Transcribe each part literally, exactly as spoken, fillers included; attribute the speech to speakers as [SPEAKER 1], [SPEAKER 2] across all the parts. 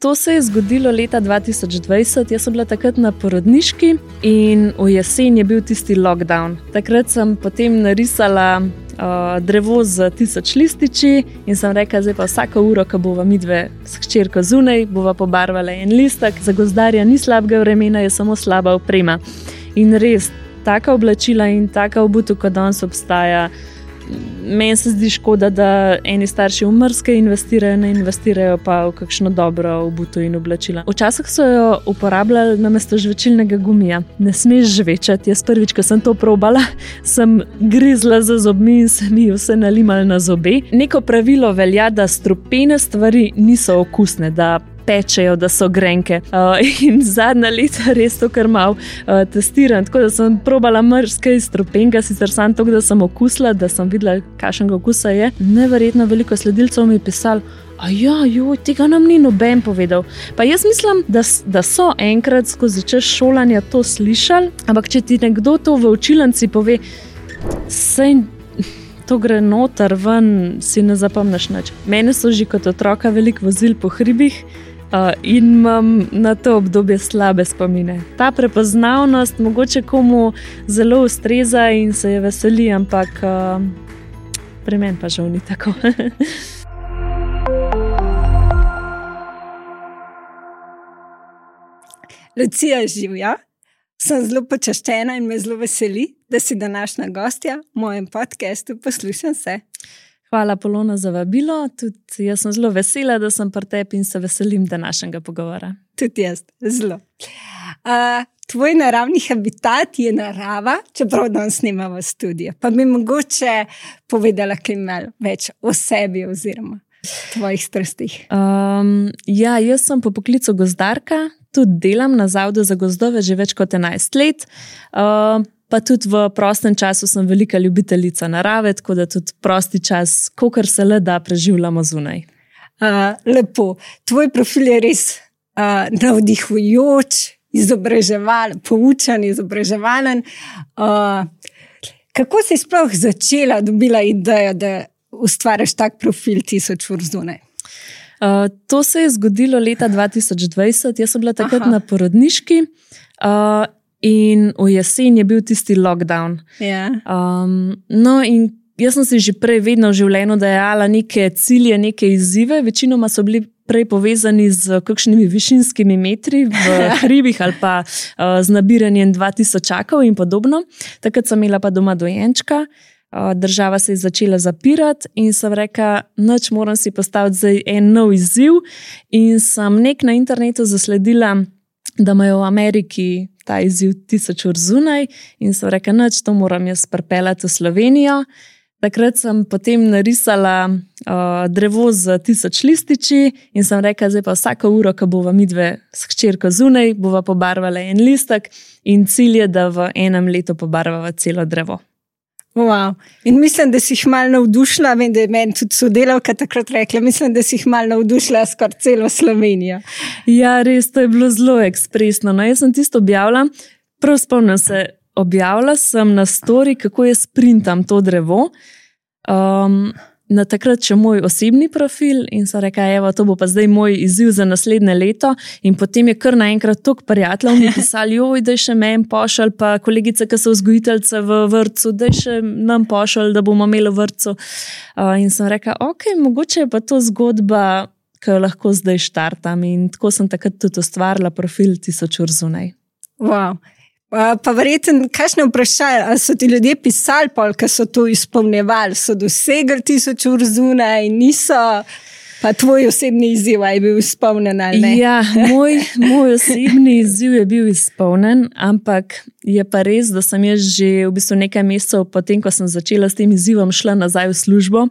[SPEAKER 1] To se je zgodilo leta dva tisoč dvajset, jaz sem bila takrat na porodniški in v jesen je bil tisti lockdown. Takrat sem potem narisala uh, drevo z tisoč lističi in sem rekla, zdaj pa vsako uro, ko bova midve s hčerko zunaj, bova pobarvala en listek. Za gozdarja ni slabega vremena, je samo slaba oprema. In res, taka oblačila in taka obutev, kot danes obstaja, meni se zdi škoda, da eni starši v mrzke investirajo, ne investirajo pa v kakšno dobro obutev in oblačila. Včasih so jo uporabljali namesto žvečilnega gumija. Ne smeš žvečati. Jaz prvič, ko sem to probala, sem grizla za zobmi in se mi vse nalimali na zobe. Neko pravilo velja, da strupene stvari niso okusne, da pečejo, da so grenke. Uh, in zadnja leta res to kar malo uh, testiram. Tako da sem probala mrzke iz strupenga, sicer sam to, da sem okusila, da sem videla, kakšnega okusa je. Neverjetno veliko sledilcev mi je pisalo, a ja, joj, tega nam ni noben povedal. Pa jaz mislim, da, da so enkrat skozi čas šolanja to slišali, ampak če ti nekdo to v učilnici pove, sej to gre noter, ven, si ne zapomniš nič. Mene so že kot otroka veliko vozili po hribih, Uh, in imam na to obdobje slabe spomine. Ta prepoznavnost mogoče komu zelo ustreza in se je veseli, ampak uh, pri meni pa žal ni tako.
[SPEAKER 2] Lucija, živja. Sem zelo počaščena in me zelo veseli, da si današnja gostja v mojem podcastu Poslušam se.
[SPEAKER 1] Hvala, Polona, za vabilo. Tudi jaz sem zelo vesela, da sem pri tebi in se veselim današnjega pogovora.
[SPEAKER 2] Tudi jaz, zelo. Uh, tvoj naravni habitat je narava, čeprav danes snimamo v studiu. Pa bi mogoče povedala kaj malo več o sebi oziroma tvojih strastih.
[SPEAKER 1] Um, ja, jaz sem po poklicu gozdarka, tudi delam na Zavodu za gozdove že več kot enajst let. Uh, Pa tudi v prostem času sem velika ljubiteljica narave, tako da tudi prosti čas, kolikor se le da, preživljamo zunaj.
[SPEAKER 2] Uh, lepo. Tvoj profil je res uh, navdihujoč, izobraževalen, poučen, izobraževalen. Uh, kako si sploh začela, dobila idejo, da ustvariš tak profil tisoč ur zunaj?
[SPEAKER 1] Uh, to se je zgodilo leta dva tisoč dvajset, jaz sem bila takrat Aha. na porodniški. Uh, In v jesen je bil tisti lockdown.
[SPEAKER 2] Yeah.
[SPEAKER 1] Um, no, in jaz sem si že prej vedno v življenju dajala neke cilje, neke izzive. Večinoma so bili prej povezani z kakšnimi višinskimi metri v hribih ali pa uh, z nabiranjem dva tisočakov in podobno. Takrat sem imela pa doma dojenčka. Uh, država se je začela zapirati in sem rekla, nič, moram si postaviti zdaj en nov izziv. In sem nek na internetu zasledila, da imajo v Ameriki ta izziv tisoč ur zunaj in sem rekla, nič, to moram jaz pripeljati v Slovenijo. Takrat sem potem narisala uh, drevo z tisoč lističi in sem rekla, zdaj pa vsako uro, ko bova midve s hčerko zunaj, bova pobarvala en listek in cilj je, da v enem letu pobarvava celo drevo.
[SPEAKER 2] Wow. In mislim, da si jih malo navdušila, vem, da je meni tudi sodelavka takrat rekla, mislim, da si jih malo navdušila skoraj celo Slovenijo.
[SPEAKER 1] Ja, res, to je bilo zelo ekspresno. No, jaz sem tisto objavila, prav spomnim se, objavila sem na story, kako jaz printam to drevo. Um, na takrat še moj osebni profil in sem rekla, evo, to bo pa zdaj moj izziv za naslednje leto in potem je kar naenkrat toliko prijateljev mi pisali, joj, daj še meni pošalj, pa kolegice, ki so vzgojiteljice v vrtcu, daj še nam pošalj, da bomo imeli v vrtcu. Uh, in sem rekla, ok, mogoče je pa to zgodba, ki jo lahko zdaj štartam in tako sem takrat tudi ustvarila profil tisoč ur zunaj.
[SPEAKER 2] Wow. Pa verjetno, kakšne vprašanje, ali so ti ljudje pisali pol, ko so to izpolnjevali, so dosegli tisoč ur zunaj, niso, pa tvoj osebni izziv je bil izpolnjen ali ne?
[SPEAKER 1] Ja, moj, moj osebni izziv je bil izpolnjen, ampak je pa res, da sem jaz že v bistvu nekaj mesecev potem, ko sem začela s tem izzivom, šla nazaj v službo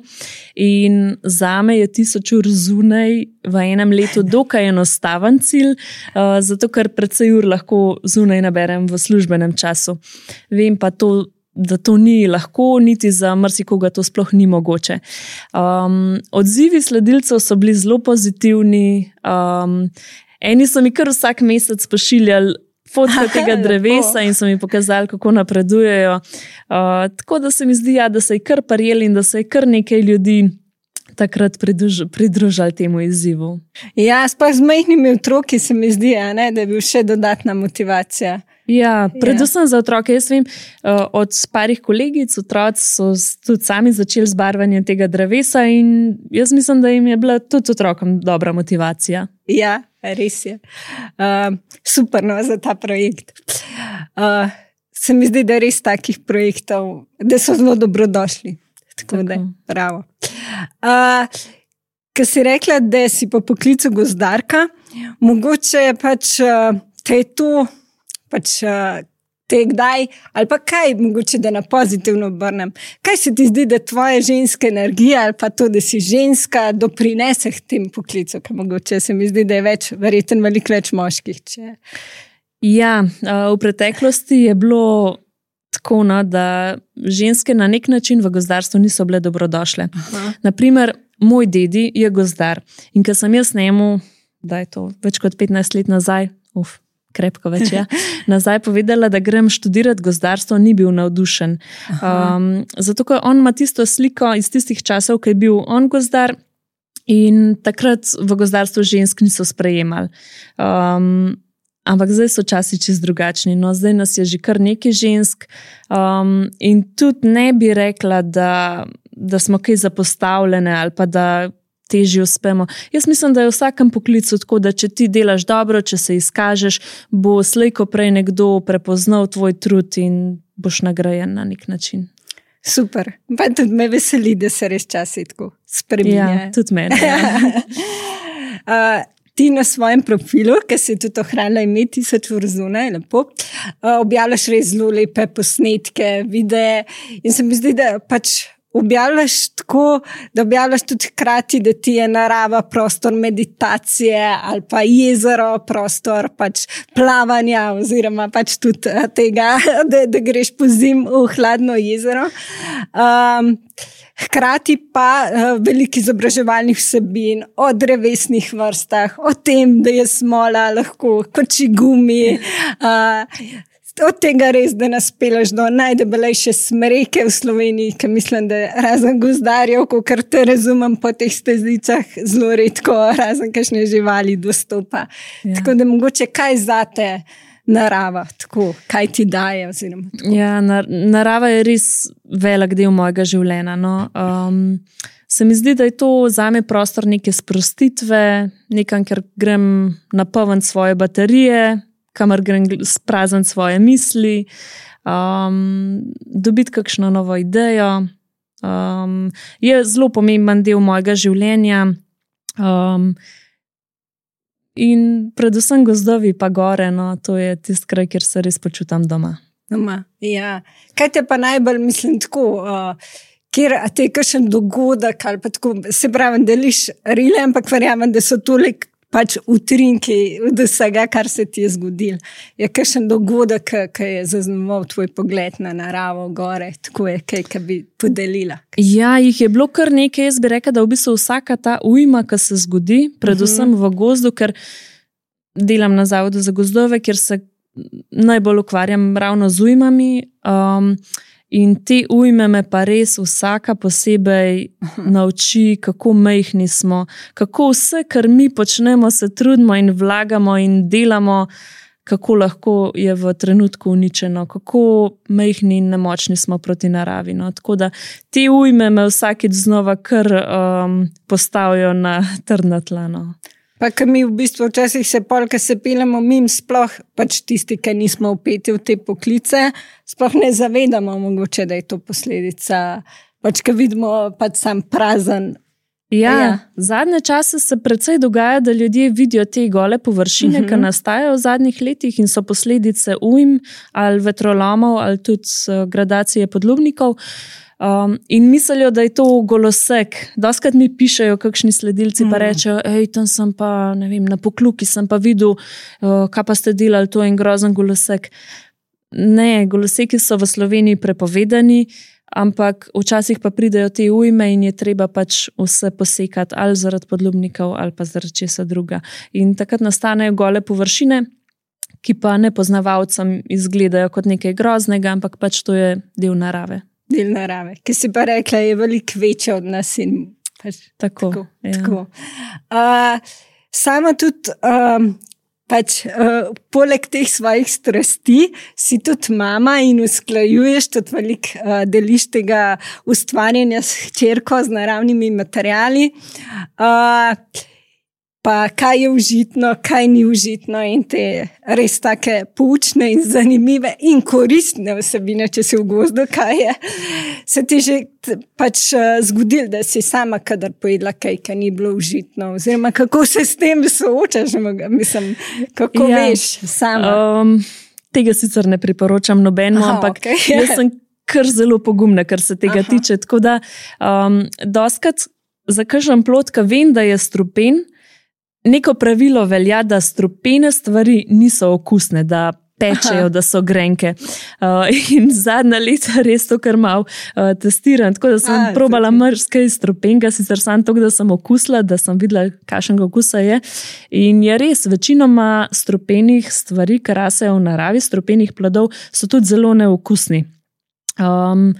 [SPEAKER 1] in zame je tisoč ur zunaj v enem letu dokaj enostaven cilj, uh, zato ker precej ur lahko zunaj naberem v službenem času. Vem pa to, da to ni lahko, niti za marsikoga to sploh ni mogoče. Um, odzivi sledilcev so bili zelo pozitivni. Um, eni so mi kar vsak mesec pošiljali fotke tega drevesa in so mi pokazali, kako napredujejo. Uh, tako da se mi zdi, ja, da se je kar prijeli in da se je kar nekaj ljudi takrat pridruž, pridružili temu izzivu.
[SPEAKER 2] Ja, sploh z majhnimi otroki se mi zdi, a ne, da je bil še dodatna motivacija.
[SPEAKER 1] Ja, predvsem ja. Za otroke. Jaz vem, od parih kolegic, otroci so tudi sami začeli z barvanjem tega drevesa in jaz mislim, da jim je bila tudi otrokom dobra motivacija.
[SPEAKER 2] Ja, res je. Uh, super no, za ta projekt. Uh, se mi zdi, da je res takih projektov, da so zelo dobrodošli. Tako, Tako. da, bravo. Uh, Ko si rekla, da si po poklicu gozdarka, mogoče pač uh, te je to pač uh, te kdaj, ali pa kaj, mogoče da na pozitivno obrnem. Kaj se ti zdi, da tvoja ženska energija ali pa to, da si ženska, doprinese k tem poklicu, ker mogoče se mi zdi, da je več, verjetno veliko več moških. Če...
[SPEAKER 1] Ja, v preteklosti je bilo tako, no, da ženske na nek način v gozdarstvu niso bile dobrodošle. Aha. Naprimer, moj dedi je gozdar in ko sem jaz njemu, da je to več kot petnajst let nazaj, uf, krepko več, ja, nazaj povedala, da grem študirati gozdarstvo, ni bil navdušen. Um, zato, ker on ima tisto sliko iz tistih časov, ko je bil on gozdar in takrat v gozdarstvu žensk niso sprejemali. Um, ampak zdaj so časi čist drugačni. No, zdaj nas je že kar nekaj žensk um, in tudi ne bi rekla, da, da smo kaj zapostavljene ali pa da težje uspemo. Jaz mislim, da je v vsakem poklicu tako, da če ti delaš dobro, če se izkažeš, bo slej ko prej nekdo prepoznal tvoj trud in boš nagrajen na nek način.
[SPEAKER 2] Super. Pa tudi me veseli, da se res časi tako spreminja.
[SPEAKER 1] Ja, tudi mene. Ja.
[SPEAKER 2] uh, ti na svojem profilu, ki si tudi ohranila ime tisoč ur zunaj, lepo, uh, objavljaš res zelo lepe posnetke, videe in se mi zdi, da pač objavljaš tako, da objavljaš tudi hkrati, da ti je narava prostor meditacije ali pa jezero prostor pač plavanja oziroma pač tudi tega, da, da greš po zim v hladno jezero. Um, hkrati pa uh, veliko izobraževalnih vsebin o drevesnih vrstah, o tem, da je smola lahko koči gumi, uh, od tega res, da nas peleš do najdebelejše smreke v Sloveniji, ker mislim, da razen gozdarjev, kar te razumem po teh stezicah, zelo redko razen kakšne živali dostopa. Ja. Tako da mogoče kaj zate narava, tako, kaj ti daje? Oziroma,
[SPEAKER 1] ja, nar narava je res velik del mojega življenja. No. Um, se mi zdi, da je to zame prostor neke sprostitve, nekam, ker grem napolniti svoje baterije, kamor grem sprazniti svoje misli, um, dobiti kakšno novo idejo. Um, je zelo pomemben del mojega življenja um, in predvsem gozdovi pa gore, no, to je tisti kraj, kjer se res počutam doma.
[SPEAKER 2] Doma, ja. Kaj te pa najbolj, mislim, tako, uh, kjer a te je kakšen dogodek ali pa tako, se pravi, deliš rile, ampak verjamem, da so toliko pač utrinki od vsega, kar se ti je zgodil. Je kakšen dogodek, ki je zaznamoval tvoj pogled na naravo, gore, tako je kaj, ki bi podelila?
[SPEAKER 1] Ja, jih je bilo kar nekaj. Jaz bi rekla, da v bistvu vsaka ta ujma, ki se zgodi, predvsem v gozdu, ker delam na Zavodu za gozdove, kjer se najbolj ukvarjam ravno z ujmami, um, in te ujme me pa res vsaka posebej nauči, kako majhni smo, kako vse, kar mi počnemo, se trudimo in vlagamo in delamo, kako lahko je v trenutku uničeno, kako majhni in nemočni smo proti naravi. No. Tako da te ujme me vsakič znova kar um, postavijo na trdna tla. No.
[SPEAKER 2] Pa, ker mi v bistvu včasih se pol, ko se pelemo mim, sploh pač tisti, ki nismo vpeti v te poklice, sploh ne zavedamo mogoče, da je to posledica, pač, ko vidimo pač sam prazen.
[SPEAKER 1] Ja, ja, zadnje čase se precej dogaja, da ljudje vidijo te gole površine, uh-huh. ki nastajajo v zadnjih letih in so posledice ujm ali vetrolomov ali tudi gradacije podlubnikov. Um, in mislijo, da je to golosek. Doskrat mi pišejo kakšni sledilci, mm. pa rečejo, ej, tam sem pa, ne vem, na Pokluki sem pa videl, uh, kaj pa ste delali, to je en grozen golosek. Ne, goloseki so v Sloveniji prepovedani, ampak včasih pa pridejo te ujme in je treba pač vse posekati, ali zaradi podlubnikov, ali pa zaradi česa druga. In takrat nastanejo gole površine, ki pa nepoznavalcem izgledajo kot nekaj groznega, ampak pač to je del narave.
[SPEAKER 2] Del narave, ki si pa rekla, je veliko večja od nas in Pač,
[SPEAKER 1] tako.
[SPEAKER 2] tako,
[SPEAKER 1] Ja.
[SPEAKER 2] tako. Uh, sama tudi, um, pač, uh, poleg teh svojih strasti, si tudi mama in usklajuješ, tudi veliko uh, deliš tega ustvarjanja s hčerko, z naravnimi materiali. Uh, Pa kaj je užitno, kaj ni užitno, in te res take poučne in zanimive in koristne vsebine, če si v gozdu, kaj je. Se ti že pač zgodilo, da si sama kadar pojedla kaj, kaj ni bilo užitno, oziroma kako se s tem soočaš, mislim, kako ja. veš sama?
[SPEAKER 1] Um, tega sicer ne priporočam nobeno,
[SPEAKER 2] Aha,
[SPEAKER 1] ampak
[SPEAKER 2] okay.
[SPEAKER 1] jaz sem kar zelo pogumna, kar se tega Aha. tiče. Tako da um, doskrat za kakšen plod, ki vem, da je strupen, neko pravilo velja, da strupene stvari niso okusne, da pečejo, Aha. da so grenke. Uh, in zadnja leta res to kar malo uh, testiram. Tako da sem A, probala marsikaj strupenega, sicer sam to, da sem okusila, da sem videla, kakšnega okusa je. In je res, večinoma strupenih stvari, ki rasejo v naravi, strupenih plodov, so tudi zelo neokusni. Um,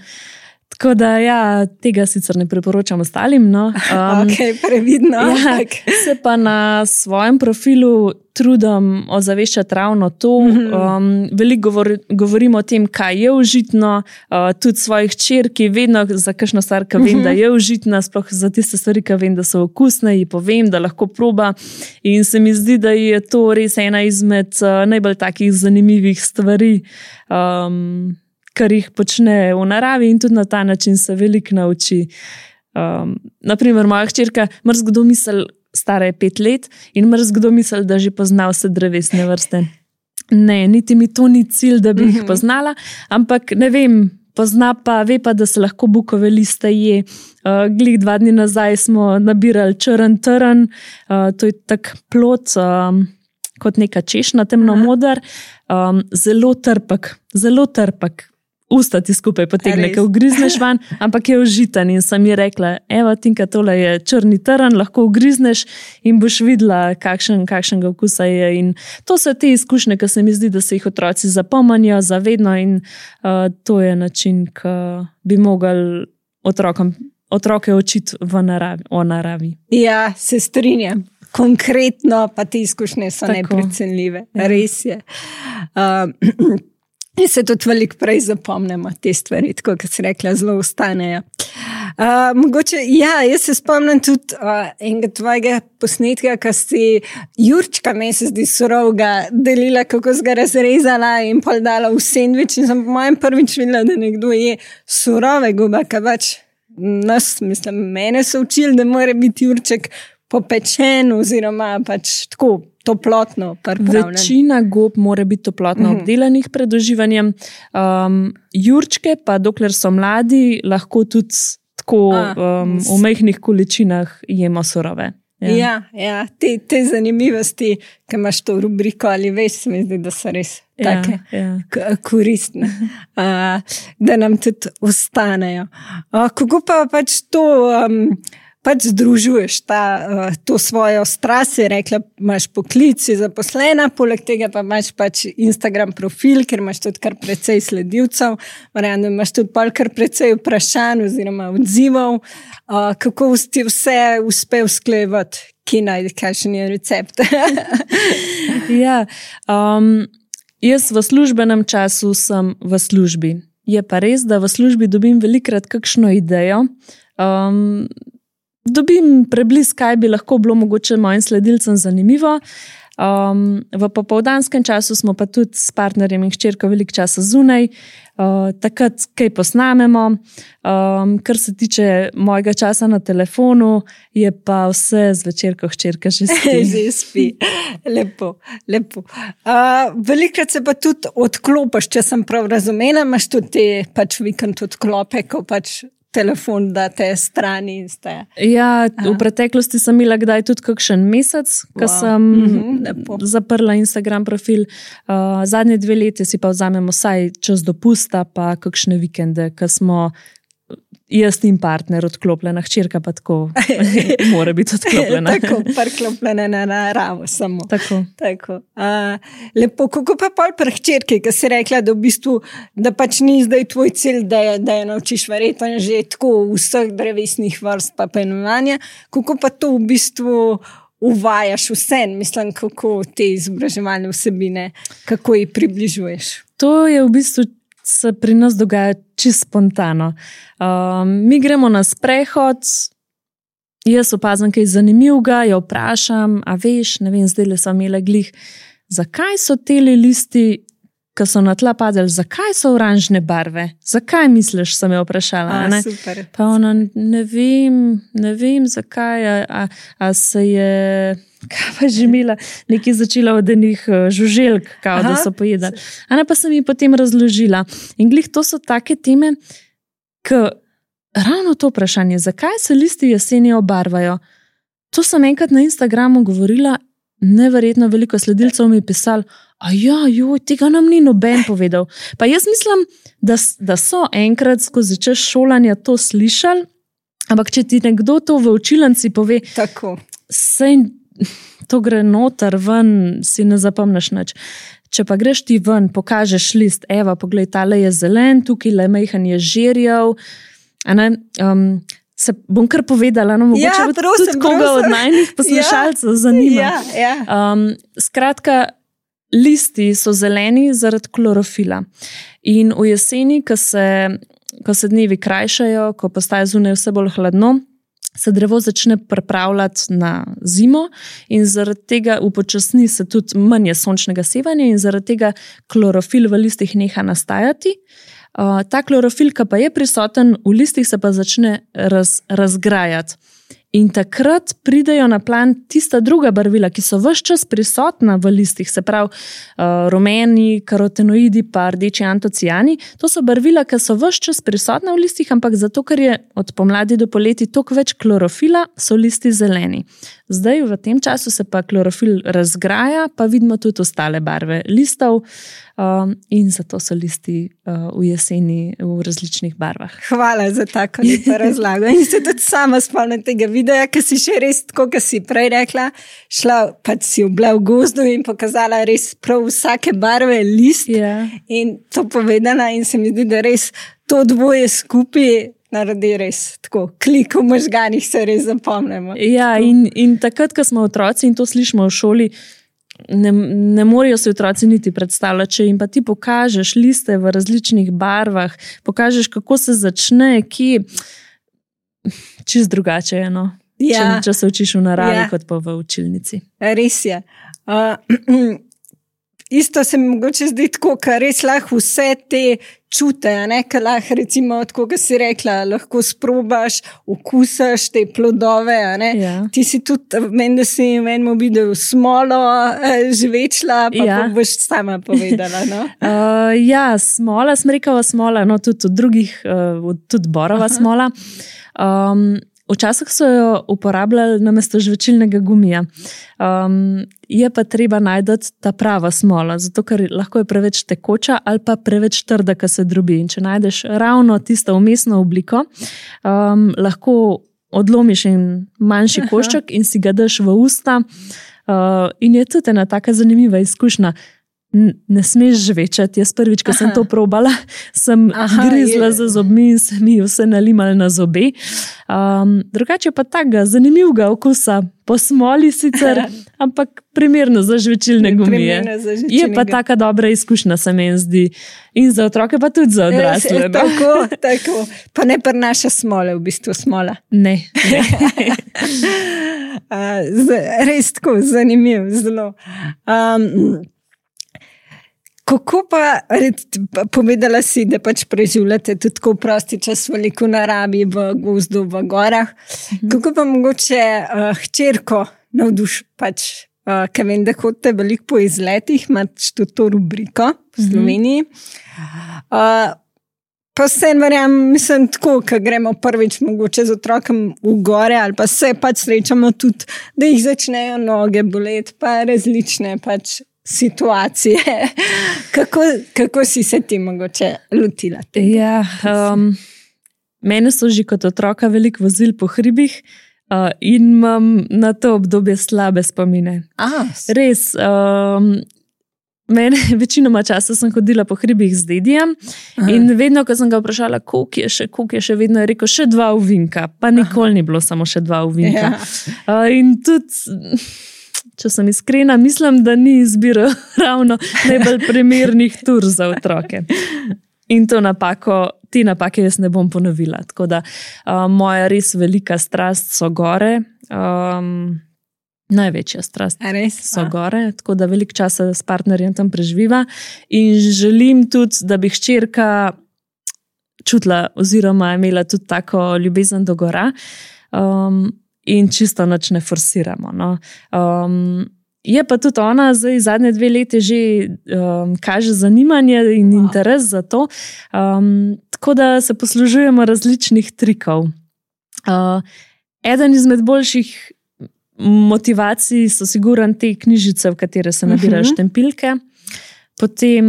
[SPEAKER 1] Tako da, ja, tega sicer ne priporočam ostalim. No. Um,
[SPEAKER 2] ok, previdno.
[SPEAKER 1] Ja, se pa na svojem profilu trudim ozaveščati ravno to. Um, veliko govor, govorim o tem, kaj je užitno, uh, tudi svojih hčerki, vedno za kakšno stvar, ki vem, da je užitna, sploh za tiste stvari, ki vem, da so okusne, ji povem, da lahko proba. In se mi zdi, da je to res ena izmed uh, najbolj takih zanimivih stvari, um, kar jih počne v naravi, in tudi na ta način se veliko nauči. Um, naprimer, moja hčerka mrzkdo misli, stara je pet let, in mrzkdo misli, da že pozna vse drevesne vrste. Ne, niti mi to ni cilj, da bi jih poznala, ampak ne vem, pozna pa, ve pa, da se lahko bukove liste je. Uh, glih dva dni nazaj smo nabirali črn trn, uh, to je tak plod, um, kot neka češnja, temno modar, um, zelo trpek, zelo trpek. Usta ti skupaj potegne, ko ugrizneš van, ampak je užiten. In sem ji rekla, evo, Tinka, tole je črni trn, lahko ugrizneš in boš videla, kakšen, kakšnega okusa je. In to so te izkušnje, ki se mi zdi, da se jih otroci zapomnijo zavedno, in uh, to je način, ki bi mogli otrokom, otroke učiti v naravi, o naravi.
[SPEAKER 2] Ja, se strinjam. Konkretno pa te izkušnje so Tako. neprecenljive. Ja. Res je. Uh, In se tudi veliko prej zapomnimo te stvari, tako kot si rekla, zelo ostanejo. Uh, mogoče, ja, jaz se spomnim tudi uh, enega tvojega posnetka, ki si jurčka, meni se zdi surovega, delila, kako si ga razrezala in pol dala v sendvič. In sem po mojem prvič videla, da nekdo je surove gobe, kaj pač nas, mislim, mene so učili, da mora biti jurček popečen oziroma pač tako toplotno pripravljen.
[SPEAKER 1] Večina gob mora biti toplotno mm-hmm. obdelanih pred uživanjem. Um, jurčke pa, dokler so mladi, lahko tudi tako A, um, v majhnih količinah jemo surove.
[SPEAKER 2] Ja, ja, ja te, te zanimivosti, ki imaš to rubriko ali veš, se mi zdi, da so res
[SPEAKER 1] ja,
[SPEAKER 2] take
[SPEAKER 1] ja.
[SPEAKER 2] k- koristne, uh, da nam tudi ostanejo. Uh, kako pa pač to... Um, pač združuješ ta, uh, to svojo strast, si rekla, imaš poklic, si zaposlena, poleg tega pa imaš pač Instagram profil, ker imaš tudi kar precej sledilcev, verjamem, da imaš tudi pol kar precej vprašanj oziroma odzivov, uh, kako ti vse uspe usklajevati, ki najde, kakšen je recept.
[SPEAKER 1] ja, um, jaz v službenem času sem v službi. Je pa res, da v službi dobim velikrat kakšno idejo, um, dobim preblisk, kaj bi lahko bilo mogoče mojim sledilcem zanimivo. Um, v popoldanskem času smo pa tudi s partnerjem in hčerko veliko časa zunaj, uh, takrat kaj posnamemo. Um, kar se tiče mojega časa na telefonu, je pa vse zvečer, ko hčerka že spi.
[SPEAKER 2] že spi. Lepo, lepo. Uh, velikrat se pa tudi odklopiš, če sem prav razumela, imaš tudi te pač vikend odklope, ko pač telefon date strani in ste.
[SPEAKER 1] Ja, v preteklosti sem imela kdaj tudi kakšen mesec, ko wow. sem mm-hmm, zaprla Instagram profil. Uh, zadnje dve leti si pa vzamemo vsaj čas dopusta, pa kakšne vikende, ko smo jaz in partner odklopljena, hčerka pa tako mora biti odklopljena.
[SPEAKER 2] Tako, priklopljena na naravo samo.
[SPEAKER 1] Tako.
[SPEAKER 2] Tako. Uh, lepo, kako pa pol pri hčerki, ki si rekla, da v bistvu, da pač ni zdaj tvoj cilj, da je, da je naučiš verjetno že tako vseh drevesnih vrst pa poimenovanja, kako pa to v bistvu uvajaš vse, mislim, kako te izobraževalne vsebine, kako jih približuješ?
[SPEAKER 1] To je v bistvu se pri nas dogaja čisto spontano. Um, mi gremo na sprehod, jaz opazim kaj zanimivega, jo vprašam, a veš, ne vem, zdaj le so imele glih, zakaj so teli listi, ki so na tla padali, zakaj so oranžne barve? Zakaj misliš, sem jo vprašala?
[SPEAKER 2] A, super.
[SPEAKER 1] Pa ona, ne vem, ne vem, zakaj, a, a, a se je... Kaj pa že imela, nekaj začela od enih žuželk, kao, da so pojedali. Ana pa sem ji potem razložila. In glih, to so take teme, ki ravno to vprašanje, zakaj se listi jeseni obarvajo. To sem enkrat na Instagramu govorila, neverjetno veliko sledilcev mi je pisali, a ja, joj, tega nam ni noben povedal. Pa jaz mislim, da, da so enkrat skozi čas šolanja to slišali, ampak če ti nekdo to v učilnici pove,
[SPEAKER 2] tako.
[SPEAKER 1] Sej to gre noter, ven, si ne zapomniš nič. Če pa greš ti ven, pokažeš list, evo, poglej, tale je zelen, tukaj le majhen je žerjav. Um, se bom kar povedala, no, mogoče
[SPEAKER 2] ja,
[SPEAKER 1] bo
[SPEAKER 2] prosim,
[SPEAKER 1] tudi koga
[SPEAKER 2] prosim.
[SPEAKER 1] od najnih poslušalcev
[SPEAKER 2] ja,
[SPEAKER 1] zanima.
[SPEAKER 2] Ja, ja.
[SPEAKER 1] Um, skratka, listi so zeleni zaradi klorofila. In v jeseni, ko se, ko se dnevi krajšajo, ko postaje zunaj vse bolj hladno, se drevo začne pripravljati na zimo in zaradi tega upočasni se tudi manj sončnega sevanja in zaradi tega klorofil v listih neha nastajati. Uh, ta klorofil, ki pa je prisoten v listih, se pa začne raz, razgrajati. In takrat pridejo na plan tista druga barvila, ki so ves čas prisotna v listih, se pravi uh, rumeni, karotenoidi pa rdeči antocijani. To so barvila, ki so ves čas prisotna v listih, ampak zato, ker je od pomladi do poleti toliko več klorofila, so listi zeleni. Zdaj v tem času se pa klorofil razgraja, pa vidimo tudi ostale barve listov um, in zato so listi uh, v jeseni v različnih barvah.
[SPEAKER 2] Hvala za tako lepo razlago. In se tudi sama spomnim tega videa, ki si še res, tako kot si prej rekla, šla pač si obla v gozdu in pokazala res prav vsake barve list
[SPEAKER 1] yeah.
[SPEAKER 2] in to povedala in se mi zdi, da res to dvoje skupaj naredi res tako, klik v možganih se res zapomnimo.
[SPEAKER 1] Ja, in, in takrat, ko smo otroci in to slišimo v šoli, ne, ne morejo se otroci niti predstavljati, če jim pa ti pokažeš liste v različnih barvah, pokažeš, kako se začne, kje, čist drugače je, no. Ja. Če, če se učiš v naravi, ja. Kot pa v učilnici.
[SPEAKER 2] Res je. Uh, isto se mi mogoče zdi tako, ker res lahko vse te čute, ne, ker lahko recimo, tako kot si rekla, lahko sprobaš, okusaš te plodove, ne.
[SPEAKER 1] Ja.
[SPEAKER 2] Ti si tudi, meni, da si v enem videu smolo žvečla, pa ja. boš sama povedala, no?
[SPEAKER 1] uh, ja, smola, smrekava smola, no, tudi od drugih, uh, tudi borova Aha. Smola. Um, Včasih so jo uporabljali namesto žvečilnega gumija. Um, je pa treba najti ta prava smola, zato ker lahko je preveč tekoča ali pa preveč trda, ko se drobi. In če najdeš ravno tisto vmesno obliko, um, lahko odlomiš en manjši košček in si ga daš v usta. Uh, in je tudi ena taka zanimiva izkušnja. Ne smeš žvečati. Jaz prvič, ko sem to probala, sem Aha, grizla je. za zobmi in se mi vse nalimali na zobe. Um, drugače pa takega zanimivega okusa, po smoli sicer, ampak primerno za žvečilne gumije. Za je pa taka dobra izkušnja, se meni zdi. In za otroke pa tudi za odrasle.
[SPEAKER 2] No? Tako, tako. Pa ne prinaša smole, v bistvu smola.
[SPEAKER 1] Ne. ne.
[SPEAKER 2] uh, z, res tako, zanimiv, zelo. Um, Kako pa, povedala si, da pač preživljate tudi tako prosti čas veliko naravi, v gozdu, v gorah. Mhm. Kako pa mogoče uh, hčerko navduš, pač, uh, ker vem, da hodite veliko po izletih, imaš tudi to rubriko v Sloveniji. Uh, pa vse verjam, mislim tako, ko gremo prvič mogoče z otrokom v gore ali pa se pač srečamo tudi, da jih začnejo noge boleti, pa različne pač situacije. Kako, kako si se ti mogoče lotila?
[SPEAKER 1] Ja, um, mene so že kot otroka veliko vozili po hribih uh, in imam na to obdobje slabe spomine.
[SPEAKER 2] A,
[SPEAKER 1] Res, um, mene večinoma časa sem hodila po hribih z dedijem in vedno, ko sem ga vprašala, koliko je še, koliko je še, vedno je rekel, še dva ovinka, pa nikoli ni bilo samo še dva ovinka. Uh, in tudi, če sem iskrena, mislim, da ni izbiral ravno najbolj primernih tur za otroke. In to napako, te napake jaz ne bom ponovila. Tako da uh, moja res velika strast so gore. Um, Največja strast
[SPEAKER 2] res?
[SPEAKER 1] so gore, tako da veliko časa s partnerjem tam preživiva in želim tudi, da bi hčerka čutila oziroma imela tudi tako ljubezen do gora um, in čisto nič ne forsiramo. No. Um, je pa tudi ona zdaj zadnje dve leti že um, kaže zanimanje in interes za to, um, tako da se poslužujemo različnih trikov. Uh, eden izmed boljših motivacij so siguran te knjižice, v katere se nabirajo štempilke, potem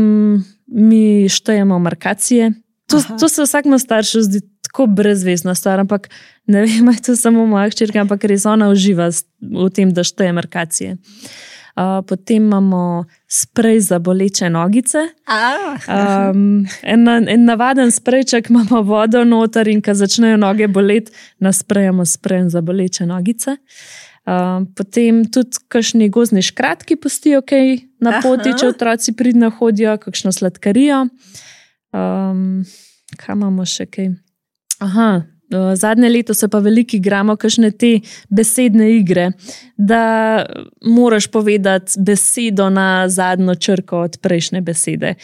[SPEAKER 1] mi štejemo markacije. To, to se vsakmu staršu zdi tako brezvezna stvar, ampak ne vem, je to samo moja hčerka, ampak res ona uživa v tem, da šteje markacije. Uh, potem imamo sprej za boleče nogice. Um, en, en navaden sprejček, imamo vodo noter in ko začnejo noge boleti, nasprejemo sprejem za boleče nogice. Uh, potem tudi kakšni gozdni škratki pustijo kaj na poti, če otroci pridno hodijo, kakšno sladkarijo. Um, kaj imamo še kaj? Aha, uh, zadnje leto se pa veliko igramo kakšne te besedne igre, da moraš povedati besedo na zadnjo črko od prejšnje besede.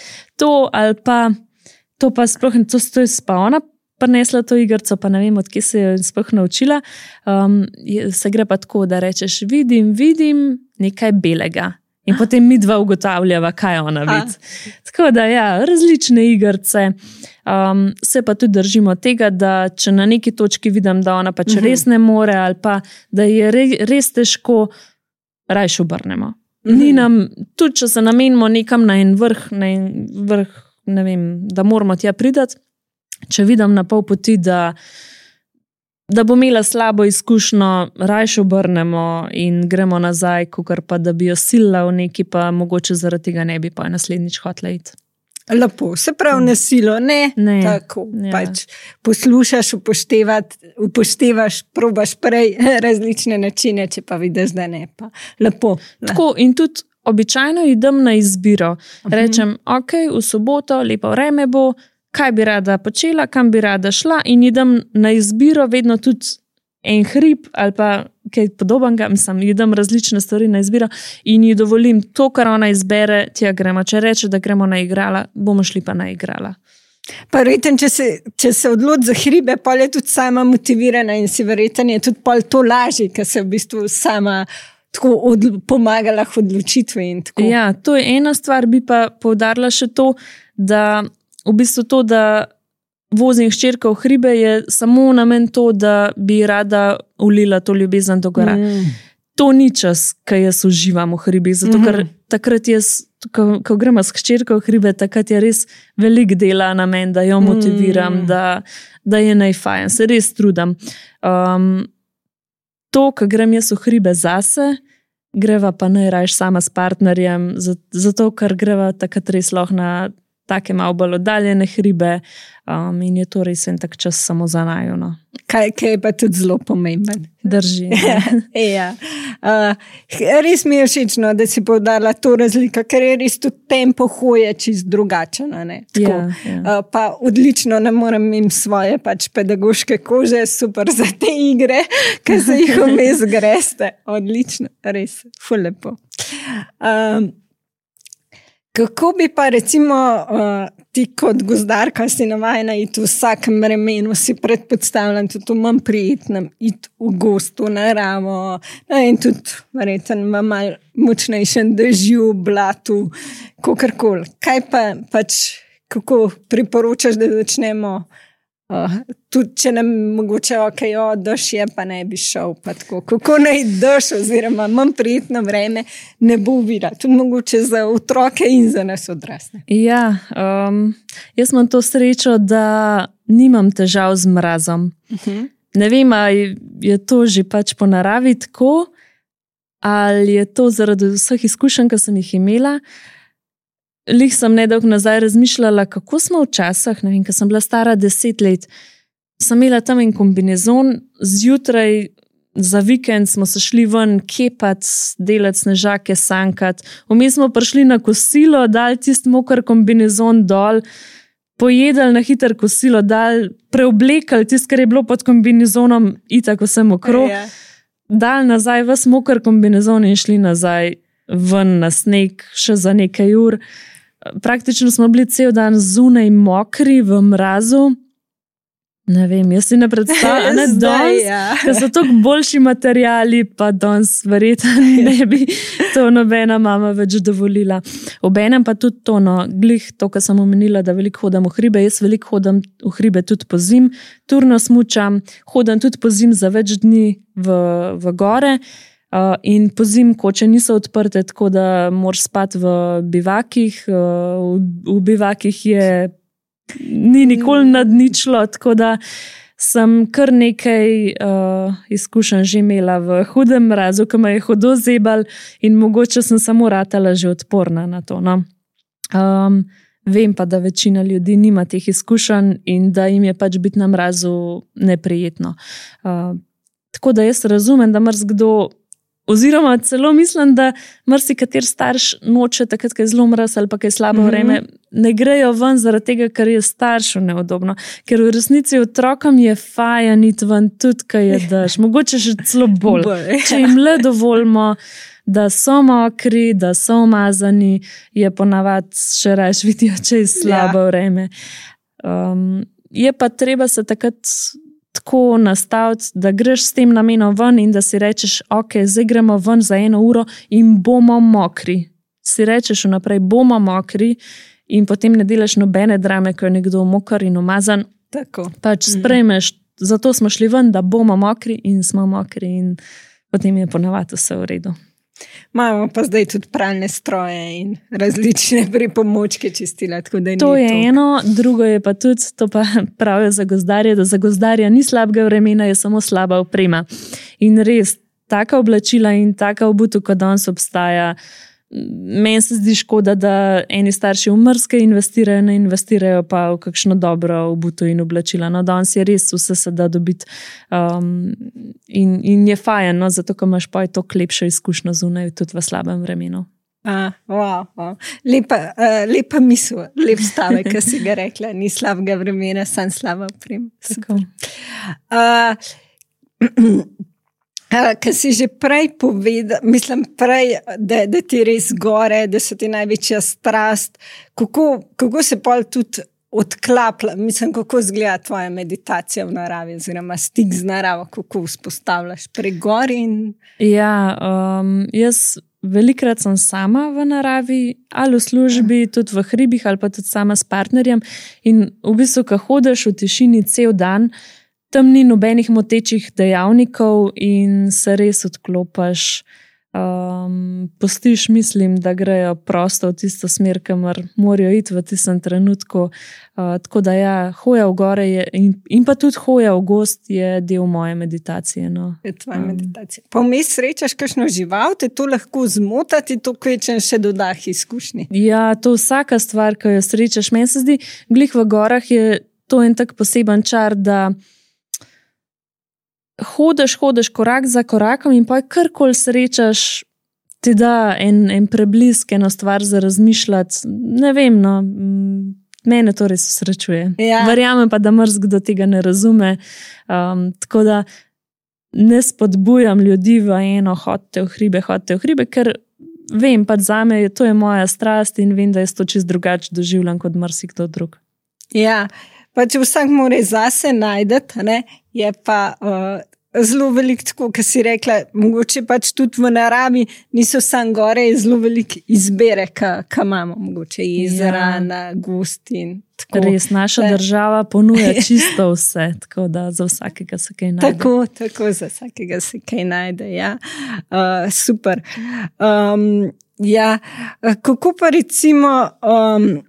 [SPEAKER 1] To ali pa, to pa sploh, to, to je pa ona prinesla to igrco, pa ne vem, od kje se je sploh naučila. Um, se gre pa tako, da rečeš, vidim, vidim nekaj belega. In potem mi dva ugotavljava, kaj ona vidi. Tako da, ja, različne igrce. Um, se pa tudi držimo tega, da če na neki točki vidim, da ona pač uh-huh. res ne more, ali pa da je re, res težko, rajš obrnemo. Uh-huh. Ni nam, tudi če se namenimo nekam na en vrh, na en vrh, ne vem, da moramo tja pridati, če vidim na pol poti, da, da bo imela slabo izkušnjo, rajš obrnemo in gremo nazaj, kakor pa da bi jo silila v neki, pa mogoče zaradi tega ne bi pa naslednjič hotela iti.
[SPEAKER 2] Lepo, se pravi na silo, ne,
[SPEAKER 1] ne.
[SPEAKER 2] Tako,
[SPEAKER 1] ja.
[SPEAKER 2] Pač poslušaš, upoštevaš, probaš prej različne načine, če pa vidiš, da ne, pa lepo.
[SPEAKER 1] Tako in tudi običajno idem na izbiro. Rečem, ok, v soboto, lepo vreme bo, kaj bi rada počela, kam bi rada šla in idem na izbiro vedno tudi en hrib ali pa kaj podobnega, mislim, idem različne stvari na izbiro in ji dovolim to, kar ona izbere, tja gremo. Če reče, da gremo na igrala, bomo šli pa na igrala.
[SPEAKER 2] Pa verjetno, če se, če se odloči za hribe, pol je tudi sama motivirana in si verjetno je tudi pol to lažje, ker se v bistvu sama tako od, pomagala v odločitvi in tako.
[SPEAKER 1] Ja, to je ena stvar, bi pa poudarila še to, da v bistvu to, da vozim hčerko v hribe, je samo namen to, da bi rada ulila to ljubezen do gora. Mm. To ni čas, ko jaz uživam v hribih, zato ker mm. takrat jaz, ko, ko gremo s hčerko v hribe, takrat je res velik dela namen, da jo motiviram, mm. da, da je najfajn, se res trudim. Um, to, ko grem jaz v hribe zase, greva pa najrajš sama s partnerjem, zato ker greva takrat res lahko na take malo bolj oddaljene hribe um, in je to res en tak čas samo za naju. No.
[SPEAKER 2] Kaj, kaj je pa tudi zelo pomemben.
[SPEAKER 1] Drži.
[SPEAKER 2] ja. uh, res mi je všečno, da si poudarila to razliko, ker je res tudi tempo hoje čist drugačen.
[SPEAKER 1] Ja, ja.
[SPEAKER 2] uh, pa odlično, ne morem im svoje pač pedagoške kože, super za te igre, ker se jih vmes greste. Odlično, res, ful lepo. Um, Kako bi pa recimo uh, ti kot gozdarka si navajena iti v vsakem vremenu, si predpostavljam tudi v manj prijetnem, iti v gost, v naravo, no, in tudi verjetno v malo močnejšem dežju, blatu, kakorkoli. Kaj pa pač, kako priporočaš, da začnemo Uh, tudi če nam mogoče ok, jo, dež je, pa ne bi šel. Tako, kako naj dež, oziroma manj prijetno vreme, ne bo videl. Tudi mogoče za otroke in za nas odrasle.
[SPEAKER 1] Ja, um, jaz imam to srečo, da nimam težav z mrazom. Uh-huh. Ne vem, ali je to že pač po naravi tako, ali je to zaradi vseh izkušenj, ki sem jih imela. Lih sem nedolgo nazaj razmišljala, kako smo včasih, ne vem, ko sem bila stara deset let, sem imela tam en kombinezon, zjutraj za vikend smo se šli ven kepat, delati snežake, sankat, vmes smo prišli na kosilo, dali tisti mokr kombinezon dol, pojedali na hiter kosilo, dali, preoblekali tisto, kar je bilo pod kombinezonom, itak vse mokro, ja. Dali nazaj ves mokr kombinezon in šli nazaj ven na sneg še za nekaj ur. Praktično smo bili cel dan zunaj mokri v mrazu. Ne vem, jaz si ne predstavljam, ne danes, ja. Da so toliko boljši materijali, pa danes verjetno ne bi to nobena mama več dovolila. Obenem pa tudi to, no, glih to, kar sem omenila, da veliko hodam v hribe, jaz veliko hodam v hribe tudi po zim, turno smučam, hodam tudi po zim za več dni v, v gore. Uh, in po zim koče niso odprte, tako da moraš spati v bivakih. Uh, v, v bivakih je ni nikoli nad ničlo, tako da sem kar nekaj uh, izkušenj že imela v hudem mrazu, ki me je hudo zebal in mogoče sem samo ratala že odporna na to. No? Um, vem pa, da večina ljudi nima teh izkušenj in da jim je pač biti na mrazu neprijetno. Uh, tako da jaz razumem, da marsikdo oziroma celo mislim, da marsikater starš noče takrat, ko je zelo mraz ali pa ko je slabo vreme, mm-hmm. ne grejo ven zaradi tega, ker je staršu neudobno. Ker v resnici otrokom je fajn iti ven tudi, ko je dež. Mogoče še celo bolj. Če jim le dovolimo, da so mokri, da so umazani, je ponavadi še raje vidijo, če je slabo ja. Vreme. Um, je pa treba se takrat tako nastaviti, da greš s tem namenom ven in da si rečeš, ok, zdaj gremo ven za eno uro in bomo mokri. Si rečeš vnaprej, bomo mokri in potem ne delaš nobene drame, ko je nekdo mokr in umazan.
[SPEAKER 2] Tako.
[SPEAKER 1] Pač sprejmeš, mm. zato smo šli ven, da bomo mokri in smo mokri in potem je ponavadi vse v redu.
[SPEAKER 2] Imamo pa zdaj tudi pralne stroje in različne pripomočke čistila. Tako da
[SPEAKER 1] to je
[SPEAKER 2] tok.
[SPEAKER 1] Eno, drugo je pa tudi, to pa pravijo za gozdarje, da za gozdarja ni slabega vremena, je samo slaba oprema. In res, taka oblačila in taka obutev, kot danes obstaja, meni se zdi škoda, da eni starši v mrzke investirajo, ne investirajo pa v kakšno dobro obutev in oblačila. No, danes je res vse se da dobiti um, in, in je fajn, no, zato, ko imaš pa toliko lepšo izkušnjo zunaj, tudi v slabem vremenu.
[SPEAKER 2] Uh, wow, wow. Lepa, uh, lepa misel, lep stavek, ki si ga rekla, ni slabega vremena, sam slaba oprema. Uh, Uh, Ker si že prej povedal, mislim prej, da, da ti res gore, da so ti največja strast, kako, kako se pol tudi odklapla, mislim, kako izgleda tvoja meditacija v naravi, oziroma stik z naravo, kako vzpostavljaš pri gori? In... Ja,
[SPEAKER 1] um, jaz velikrat sem sama v naravi, ali v službi, ja. Tudi v hribih, ali pa tudi sama s partnerjem in v bistvu, ko hodiš v tišini cel dan, tam ni nobenih motečih dejavnikov in se res odklopaš. Um, postiš, mislim, da grejo prosto v tisto smer, kamor morajo iti v tistem trenutku. Uh, tako da ja, hoja v gore je, in, in pa tudi hoja v gozd je del moje meditacije. No.
[SPEAKER 2] Je tvoja um. meditacija. Pa vmes srečaš kakšno žival, te to lahko zmotati, to kvečem še dodah izkušnji.
[SPEAKER 1] Ja, to vsaka stvar, ko jo srečaš. Meni se zdi, glih v gorah je to en tak poseben čar, da Hodeš, hodeš korak za korakom in pa karkoli srečaš, ti da en, en preblisk, eno stvar za razmišljati. Ne vem, no, mene to res srečuje. Ja. Verjamem pa, da marsikdo tega ne razume. Um, tako da ne spodbujam ljudi v eno, hodite v hribe, hodite v hribe, ker vem, pa zame to je moja strast in vem, da jaz to čist drugače doživljam kot marsikdo drug.
[SPEAKER 2] Ja, pa če vsak mora zase najdeti, ne, je pa uh, zelo veliko, tako kot si rekla, mogoče pač tudi v naravi niso sam gore, je zelo veliko izbere, ki imamo, mogoče jezera, ja. Gost in tako.
[SPEAKER 1] Res, naša da. Država ponuja čisto vse, tako da za vsakega se kaj najde.
[SPEAKER 2] Tako, tako za vsakega se kaj najde, ja. Uh, super. Um, ja, kako pa recimo... Um,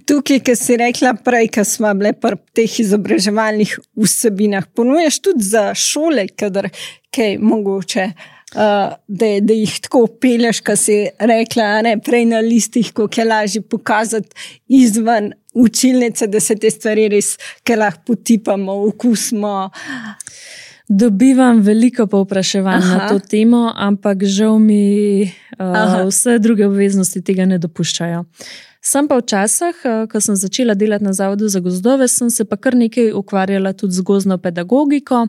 [SPEAKER 2] Tukaj, ki si rekla prej, ko smo bile pri teh izobraževalnih vsebinah, ponujaš tudi za šole, kadar kaj mogoče, uh, da, da jih tako pelješ, ko si rekla, ne, prej na listih, kako je lažje pokazati izven učilnice, da se te stvari res, ki lahko potipamo, okusimo.
[SPEAKER 1] Dobivam veliko povpraševanj na to temo, ampak žal mi uh, vse druge obveznosti tega ne dopuščajo. Sem pa včasih, ko sem začela delati na Zavodu za gozdove, sem se pa kar nekaj ukvarjala tudi z gozdno pedagogiko,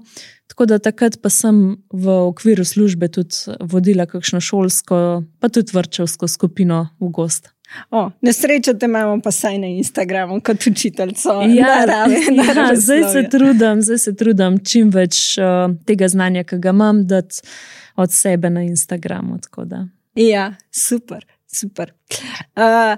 [SPEAKER 1] tako da takrat pa sem v okviru službe tudi vodila kakšno šolsko, pa tudi vrtčevsko skupino v gost.
[SPEAKER 2] O, nesrečo te imamo pa saj na Instagramu kot učiteljico.
[SPEAKER 1] Ja, narave, ja zdaj se trudim, zdaj se trudim čim več uh, tega znanja, ki ga imam, dati od sebe na Instagramu. Tako da.
[SPEAKER 2] Ja, super, super. Uh,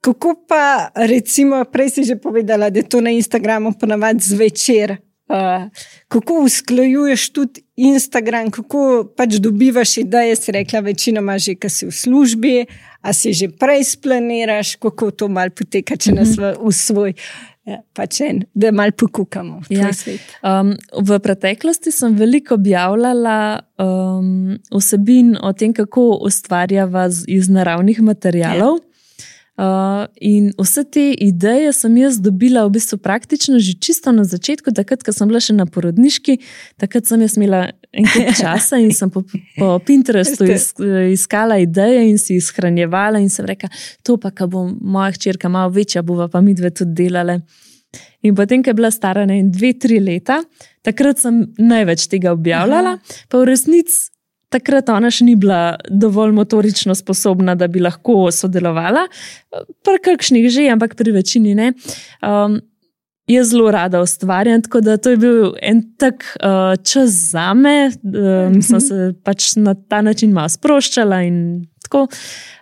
[SPEAKER 2] Kako pa, recimo, prej si že povedala, da je to na Instagramu ponavadi zvečer. Uh, kako usklajuješ tudi Instagram, kako pač dobivaš ideje, si rekla, večinoma že, ko si v službi, a si že prej splaniraš, kako to malo poteka, če nas v, v svoj, ja, pač en, da malo pokukamo v tvoj ja. Svet.
[SPEAKER 1] Um, v preteklosti sem veliko objavljala um, vsebin o tem, kako ustvarjava iz naravnih materialov. Ja. Uh, in vse te ideje sem jaz dobila v bistvu praktično že čisto na začetku, takrat, ko sem bila še na porodniški, takrat sem jaz imela en kup časa in sem po, po Pinterestu is, iskala ideje in si jih shranjevala in sem rekla, to pa, ko bo moja hčerka malo večja, bova pa mi dve tudi delale. In potem, ko je bila stara ne, dve, tri leta, takrat sem največ tega objavljala, Aha. pa v resnici takrat ona še ni bila dovolj motorično sposobna, da bi lahko sodelovala. Pri kakšnih že, ampak pri večini ne. Um, jaz zelo rada ustvarjam, tako da to je bil en tak uh, čas zame. Um, sem se pač na ta način malo sproščala in tako.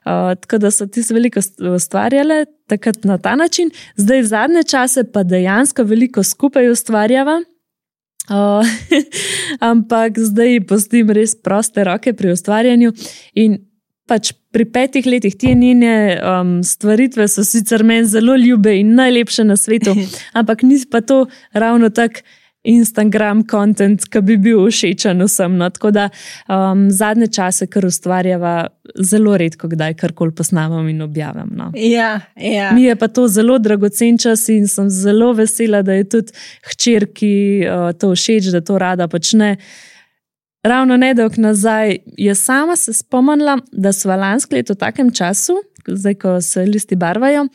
[SPEAKER 1] Uh, tako da so ti se veliko ustvarjale takrat na ta način. Zdaj zadnje čase pa dejansko veliko skupaj ustvarjava. Uh, ampak zdaj pustim res proste roke pri ustvarjanju in pač pri petih letih te njene um, stvaritve so sicer meni zelo ljube in najlepše na svetu, ampak ni pa to ravno tak Instagram content, ki bi bil všečen vsem. No? Tako da um, zadnje čase, kar ustvarjava, zelo redko kdaj karkoli posnamem in objavim. No?
[SPEAKER 2] Ja, ja.
[SPEAKER 1] Mi je pa to zelo dragocen čas in sem zelo vesela, da je tudi hčerki uh, to všeč, da to rada počne. Ravno nedolgo nazaj je sama se spomnila, da so lansko leto v takem času, zdaj ko se listi barvajo,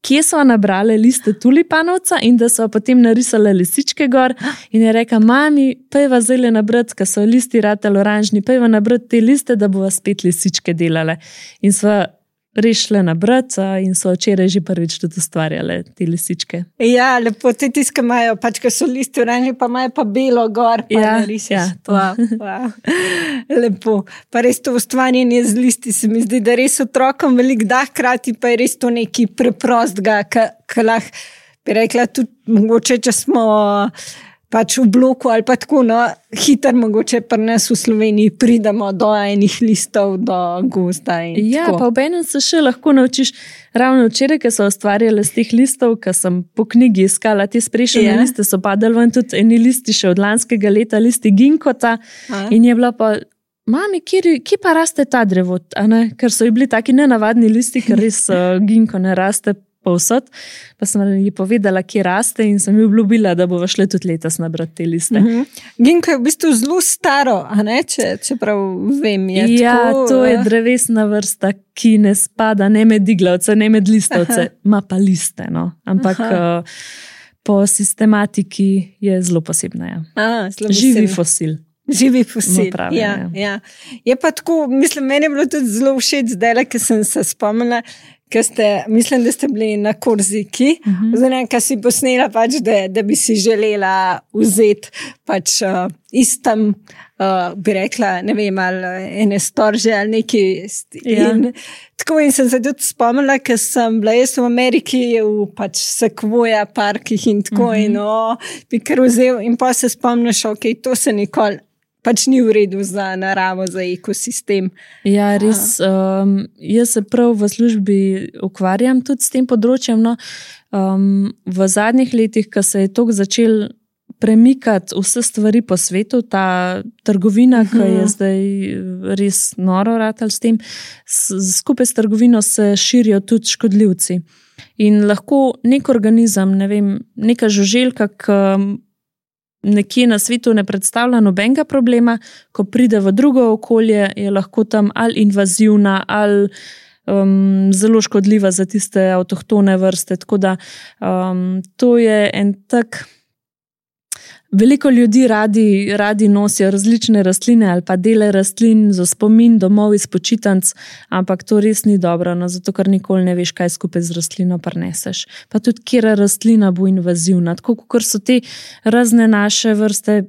[SPEAKER 1] kje so nabrale liste tulipanovca in da so potem narisale lisičke gor in je rekla, mami, pejva zdaj nabrati, ko so listi ratali oranžni, pejva nabrati te liste, da bova spet lisičke delale. In sva rešile nabrati in so včeraj že prvič tudi ustvarjale te lisičke.
[SPEAKER 2] Ja, lepo, te tiske imajo, pač, ko so listi oranžni, pa imajo pa belo gor, pa
[SPEAKER 1] ja,
[SPEAKER 2] narišeš.
[SPEAKER 1] Ja,
[SPEAKER 2] wow, wow. Lepo. Pa res to ustvarjanje z listi se mi zdi, da res otrokom veliko da, hkrati pa je res to nekaj preprostega, ki lahko bi rekla tudi, mogoče, če smo pač v bloku ali pa tako, no, hiter mogoče pri nas v Sloveniji pridemo do enih listov, do gozda in
[SPEAKER 1] ja,
[SPEAKER 2] tako.
[SPEAKER 1] Pa v enem se še lahko naučiš, ravno včeraj, ko so ustvarjale z teh listov, ko sem po knjigi iskala te sprešene ja. Liste, so padali ven tudi eni listi še od lanskega leta, listi ginkota A. In je bila pa, mami, kje, kje pa raste ta drevo? Ker so ji bili taki nenavadni listi, ker res uh, ginko ne raste povsod, pa sem ji povedala, kje raste in sem ji obljubila, da bova šle tudi letos nabrati te liste.
[SPEAKER 2] Mm-hmm. Ginko je v bistvu zelo staro, a ne, če, čeprav vem, je
[SPEAKER 1] ja,
[SPEAKER 2] tako. Ja,
[SPEAKER 1] to je drevesna vrsta, ki ne spada ne med iglavce, ne med listovce, ima pa liste, no. Ampak uh, po sistematiki je zelo posebna. Ja.
[SPEAKER 2] A, zelo
[SPEAKER 1] Živi
[SPEAKER 2] posebna.
[SPEAKER 1] fosil.
[SPEAKER 2] Živi fosil,
[SPEAKER 1] pravi,
[SPEAKER 2] ja,
[SPEAKER 1] ja.
[SPEAKER 2] ja. Je pa tako, mislim, meni je bilo tudi zelo všeč zdaj, ker sem se spomnila, ker ste, mislim, da ste bili na Korziki, uh -huh. oziroma, kaj si posnela, pač, da, da bi si želela vzeti pač uh, istem, uh, bi rekla, ne vem, ali ene storže ali neki. Ja. In, tako in sem se tudi spomnila, ker sem bila jaz v Ameriki, v pač Sequoia parkih in tako uh -huh. in o, bi kar vzel in pa se spomniš, ok, to se nikoli pač ni v redu za naravo, za ekosistem.
[SPEAKER 1] Ja, res. Um, jaz se prav v službi ukvarjam tudi s tem področjem. No, um, v zadnjih letih, ko se je toliko začel premikati vse stvari po svetu, ta trgovina, ki je zdaj res noro ratal s tem, skupaj s trgovino se širijo tudi škodljivci. In lahko nek organizem, ne vem, neka žuželka, ki nekje na svetu ne predstavlja nobenega problema, ko pride v drugo okolje, je lahko tam ali invazivna, ali um, zelo škodljiva za tiste avtohtone vrste. Tako da um, to je en tak. Veliko ljudi radi, radi nosijo različne rastline ali pa dele rastlin za spomin domov iz počitnic, ampak to res ni dobro, no, zato ker nikoli ne veš, kaj skupaj z rastlino prineseš. Pa tudi, kjera rastlina bo invazivna. Tako kot so te razne naše vrste,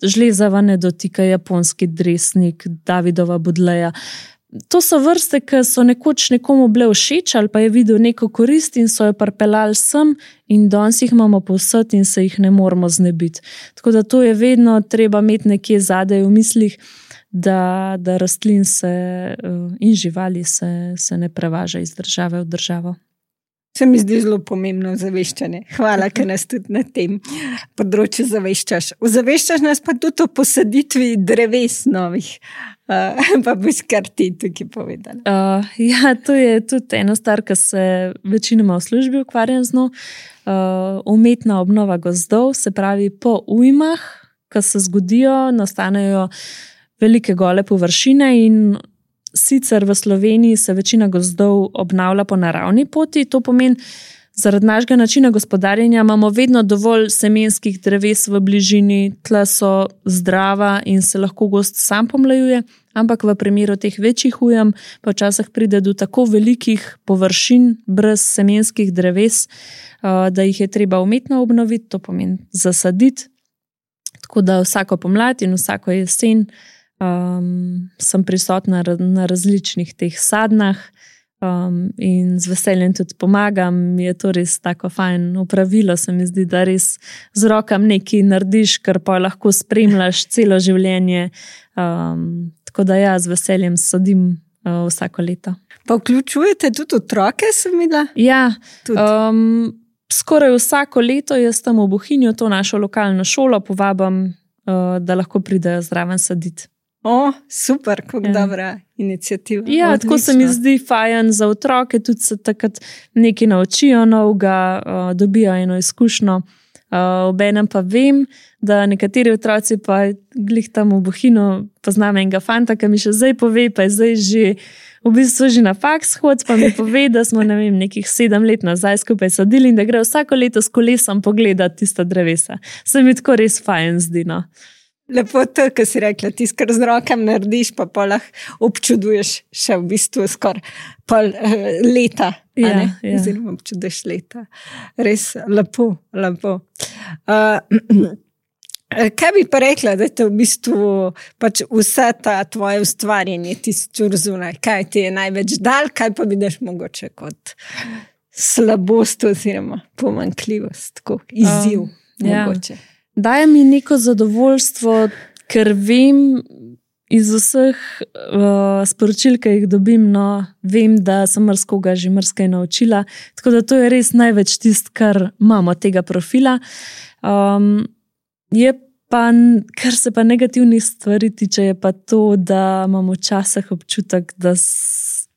[SPEAKER 1] žlezava ne dotika, japonski dresnik, Davidova budleja. To so vrste, ki so nekoč nekomu bile všeč ali pa je videl neko korist in so jo pripeljali sem in danes jih imamo povsod in se jih ne moramo znebiti. Tako da to je vedno treba imeti nekje zadaj v mislih, da, da rastlin se in živali se, se ne prevaža iz države v državo.
[SPEAKER 2] Se mi zdi zelo pomembno zaveščanje. Hvala, ker nas tudi na tem področju zaveščaš. Zaveščaš nas pa tudi o posaditvi dreves novih. Uh, pa boš kar ti tukaj povedala.
[SPEAKER 1] Uh, ja, to je tudi ena stvar, ki se večinoma v službi ukvarjam z njo. Uh, umetna obnova gozdov, se pravi po ujmah, ki se zgodijo, nastanejo velike gole površine in sicer v Sloveniji se večina gozdov obnavlja po naravni poti. To pomeni, zaradi našega načina gospodarjenja imamo vedno dovolj semenskih dreves v bližini, tla so zdrava in se lahko gozd sam pomlajuje, ampak v primeru teh večjih ujem pa včasih pride do tako velikih površin brez semenskih dreves, da jih je treba umetno obnoviti, to pomeni zasaditi. Tako da vsako pomlad in vsako jesen Um, sem prisotna na različnih teh sadnah um, in z veseljem tudi pomagam. Je to res tako fajn opravilo, se mi zdi, da res z rokam nekaj narediš, kar pa lahko spremljaš celo življenje. Um, tako da ja, z veseljem sadim uh, vsako leto.
[SPEAKER 2] Pa vključujete tudi otroke, sem videla?
[SPEAKER 1] Ja, um, skoraj vsako leto jaz tam v Bohinju, to našo lokalno šolo, povabim, uh, da lahko pridejo zraven saditi.
[SPEAKER 2] O, super, kako ja. Dobra iniciativa.
[SPEAKER 1] Ja, odlično. Tako se mi zdi fajn za otroke, tudi se takrat nekaj naučijo novega, uh, dobijo eno izkušnjo. Uh, obenem pa vem, da nekateri otroci pa glih tam v Bohinju poznam enega fanta, ki mi še zdaj pove, pa je zdaj že v bistvu že na faks hod, pa mi pove, da smo ne vem, nekih sedem let nazaj skupaj sadili in da gre vsako leto s kolesom pogledati tista drevesa. Se mi tako res fajn zdi, no.
[SPEAKER 2] Lepo to, kar si rekla, ti skor z rokem narediš, pa pa lahko občuduješ še v bistvu skor pol uh, leta.
[SPEAKER 1] Ja, ja.
[SPEAKER 2] Oziroma občuduješ leta. Res lepo, lepo. Uh, kaj bi pa rekla, da te v bistvu pač vse ta tvoje ustvarjanje tisti ur zunaj, kaj ti je največ dal, kaj pa vidiš mogoče kot slabost oziroma pomanjkljivost, tako izziv um, mogoče. Ja.
[SPEAKER 1] Daje mi neko zadovoljstvo, ker vem iz vseh uh, sporočil, ki jih dobim, no, vem, da sem marskoga že marskaj naučila, tako da to je res največ tist, kar imamo tega profila. Um, je pa, kar se pa negativnih stvari tiče, je pa to, da imam včasih občutek, da, s,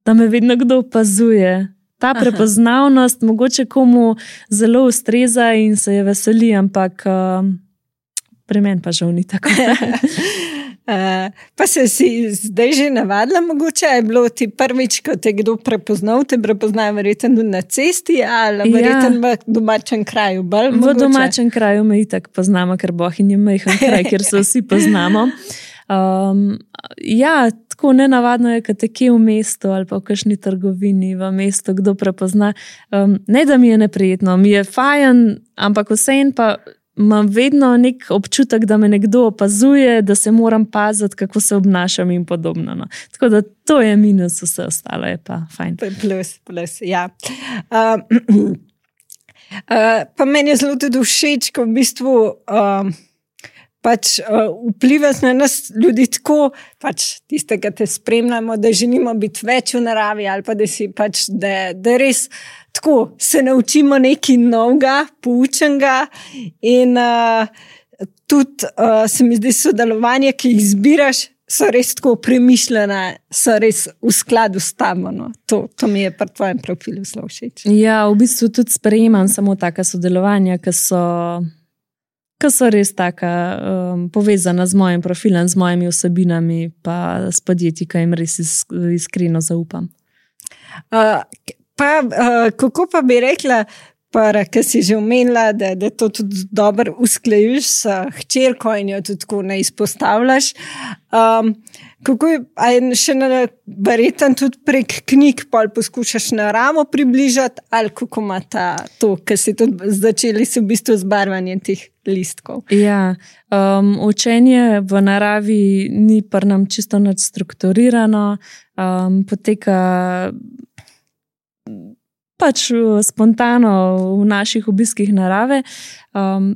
[SPEAKER 1] da me vedno kdo opazuje. Ta prepoznavnost Aha. mogoče komu zelo ustreza in se je veseli, ampak uh, pri meni pa žal ni tako.
[SPEAKER 2] uh, pa se si zdaj že navadila, mogoče je bilo ti prvič, ko te kdo prepoznal, te prepoznajo verjetno na cesti ali verjetno ja. v domačem kraju. Bolj,
[SPEAKER 1] v domačem kraju me itak poznamo, ker Bohinj je majhen kraj, kjer se vsi poznamo. Um, ja, tako nenavadno je, kad te kje v mestu ali pa v kakšni trgovini v mestu kdo prepozna. Um, ne, da mi je neprijetno, mi je fajn, ampak vseeno pa imam vedno nek občutek, da me nekdo opazuje, da se moram paziti, kako se obnašam in podobno. No. Tako da to je minus, vse ostalo je pa fajn.
[SPEAKER 2] Plus, plus, ja. Uh, uh, pa meni je zelo tudi všeč, ko v bistvu uh, pač uh, vpliva na nas ljudi tako, pač tistega te spremljamo, da želimo biti več v naravi ali pa da si pač, da, da res tako se naučimo nekaj novega, poučenega in uh, tudi uh, se mi zdi sodelovanje, ki jih zbiraš, so res tako premišljena, so res v skladu s tamo. No. To, to mi je pri tvojem profilu zelo všeč.
[SPEAKER 1] Ja, v bistvu tudi sprejemam samo taka sodelovanja, ki so, ki so res taka um, povezana z mojim profilom, z mojimi vsebinami pa s podjetji, ki jim res is, iskreno zaupam.
[SPEAKER 2] Uh, Pa, uh, kako pa bi rekla, ker si že omenila, da, da to tudi dobro usklajuješ s hčerko in jo tudi tako ne izpostavljaš. Um, kako je, a je še verjetno tudi prek knjig pol poskušaš naravo približati, ali kako ima ta to, ker si tudi začeli se v bistvu z barvanjem teh listkov?
[SPEAKER 1] Ja, um, učenje v naravi ni pri nam čisto nič strukturirano, um, poteka pač spontano v naših obiskih narave. Um,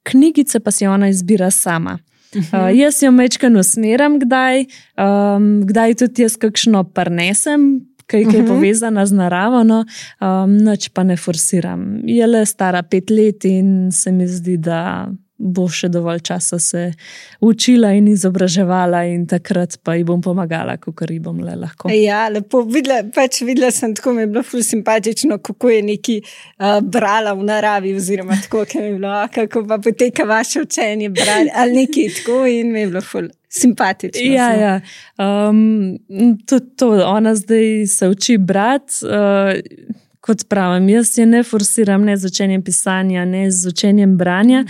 [SPEAKER 1] knjigice pa si ona izbira sama. Uh, jaz jo mečkano usmeram kdaj, um, kdaj tudi jaz kakšno prinesem, kaj je povezana z naravo, no, um, nič pa ne forsiram. Je le stara pet let in se mi zdi, da bo še dovolj časa se učila in izobraževala in takrat pa ji bom pomagala, kakor ji bom le lahko.
[SPEAKER 2] Ja, lepo. Videla, pač videla sem, tako mi je bilo ful simpatično, kako je neki uh, brala v naravi oziroma tako, kaj mi je bilo, kako pa poteka vaše učenje brali ali nekaj tako in mi je bilo ful simpatično.
[SPEAKER 1] Ja, ja. Um, tudi to, ona zdaj se uči brati, uh, kot pravim, jaz je ne forsiram ne z učenjem pisanja, ne z učenjem branja,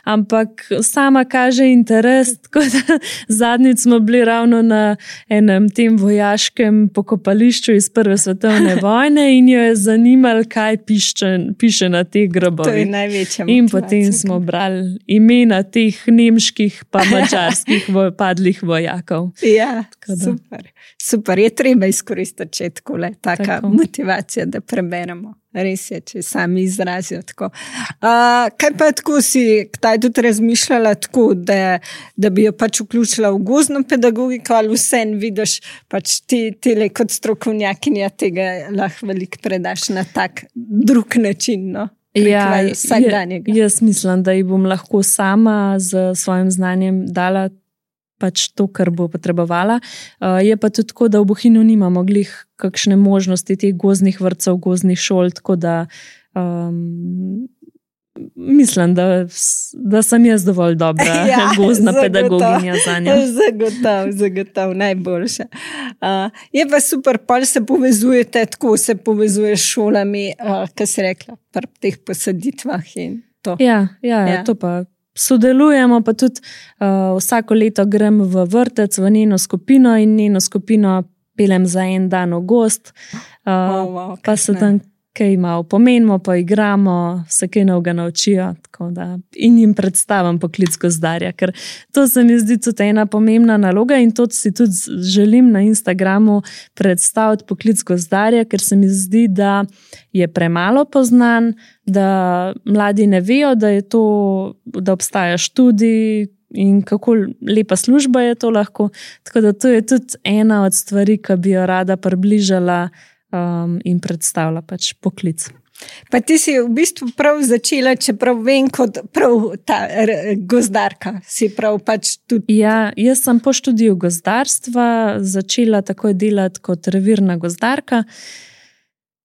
[SPEAKER 1] ampak sama kaže interes, tako da zadnjič smo bili ravno na enem tem vojaškem pokopališču iz Prve svetovne vojne in jo je zanimalo, kaj piše, piše na teh grobovih.
[SPEAKER 2] To je največja motivacija.
[SPEAKER 1] In potem smo brali imena teh nemških pa mačarskih padlih vojakov.
[SPEAKER 2] Ja, super. Super, je treba izkoristiti, če je tako le, taka tako. Motivacija, da preberemo. Res je, če sami izrazijo tako. Uh, kaj pa tako si, kdaj tudi razmišljala tako, da, da bi jo pač vključila v gozdno pedagogiko ali vsem vidiš, pač ti, ti le kot strokovnjakinja tega lahko veliko predaš na tak drug način, no?
[SPEAKER 1] Ja, jaz mislim, da ji bom lahko sama z svojim znanjem dala pač to, kar bo potrebovala. Uh, je pa tudi tako, da v Bohinju nimamo glih kakšne možnosti teh gozdnih vrtcev, gozdnih šol, tako da um, mislim, da, da sem jaz dovolj dobra ja, gozdna zagotov, pedagoginja za njo.
[SPEAKER 2] Zagotov, zagotov, najboljša. Uh, je pa super, pol se povezujete, tako se povezuje s šolami, uh, kar si rekla, pri teh posaditvah in to.
[SPEAKER 1] Ja, ja, ja. To pa sodelujemo, pa tudi uh, vsako leto grem v vrtec, v njeno skupino in njeno skupino pelem za en dan v gost, uh,
[SPEAKER 2] oh, wow,
[SPEAKER 1] pa se tam kaj malo pomenimo, pa igramo, se kaj novega naučijo, tako da in jim predstavim poklic gozdarja, ker to se mi zdi tudi ena pomembna naloga in to si tudi želim na Instagramu predstaviti poklic gozdarja, ker se mi zdi, da je premalo poznan, da mladi ne vejo, da je to, da obstaja študij in kako lepa služba je to lahko, tako da to je tudi ena od stvari, ki bi jo rada približala Um, in predstavlja pač poklic.
[SPEAKER 2] Pa ti si v bistvu prav začela, čeprav vem, kot prav ta gozdarka, si prav pač tudi...
[SPEAKER 1] Ja, jaz sem po študiju gozdarstva začela takoj delati kot revirna gozdarka.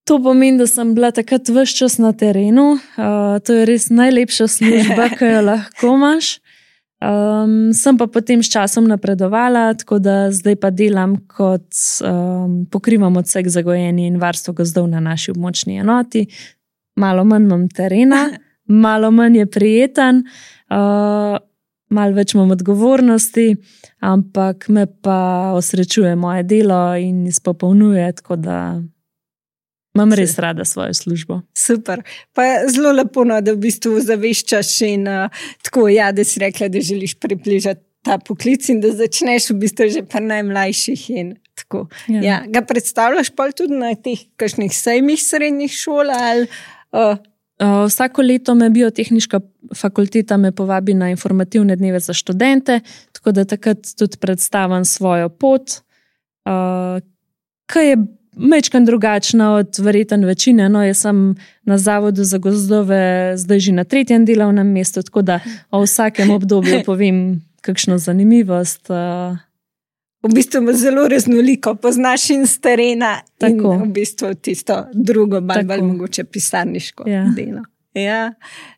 [SPEAKER 1] To pomeni, da sem bila takrat ves čas na terenu. Uh, to je res najlepša služba, ki jo lahko imaš. Um, sem pa potem s časom napredovala, tako da zdaj pa delam kot um, pokrivam odsek za gojenje in varstvo gozdov na naši območni enoti. Malo manj imam terena, malo manj je prijeten. Uh, malo več imam odgovornosti, ampak me pa osrečuje moje delo in izpopolnjuje, tako da imam res rada svojo službo.
[SPEAKER 2] Super. Pa zelo lepo, no, da v bistvu zaveščaš in uh, tako, ja, da si rekla, da želiš približati ta poklic in da začneš v bistvu že pri najmlajših in tako. Ja. Ja, ga predstavljaš pa tudi na teh kakšnih sejmih srednjih šol ali... Uh,
[SPEAKER 1] Uh, vsako leto me biotehniška fakulteta me povabi na informativne dneve za študente, tako da takrat tudi predstavim svojo pot, uh, ki je majčkeno drugačna od verjetno večine. No, jaz sem na Zavodu za gozdove zdaj že na tretjem delovnem mestu, tako da o vsakem obdobju povem kakšno zanimivost. Uh,
[SPEAKER 2] V bistvu je zelo raznoliko, poznaš in s terena
[SPEAKER 1] Tako.
[SPEAKER 2] In v bistvu tisto drugo, bolj, bolj mogoče pisarniško
[SPEAKER 1] ja.
[SPEAKER 2] delo. Ja,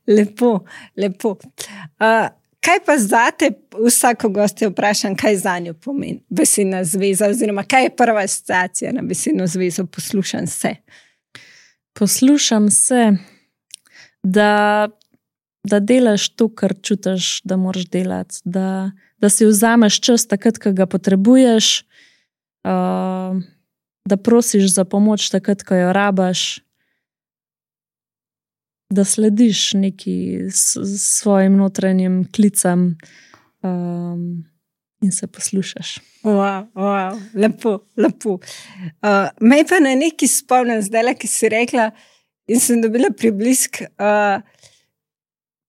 [SPEAKER 2] lepo, lepo. Uh, kaj pa zate, vsako gostjo vprašam, kaj za njo pomeni besedna zveza, oziroma kaj je prva asociacija na besedno zvezo poslušam se?
[SPEAKER 1] Poslušam se, da, da delaš to, kar čutiš, da moraš delati, da da si vzameš čas takrat, ko ga potrebuješ, uh, da prosiš za pomoč takrat, ko jo rabaš, da slediš neki s, svojim notranjim klicam um, in se poslušaš.
[SPEAKER 2] Wow, wow, lepo, lepo. Uh, me pa na neki spomnim zdaj, ki si rekla in sem dobila priblisk, uh,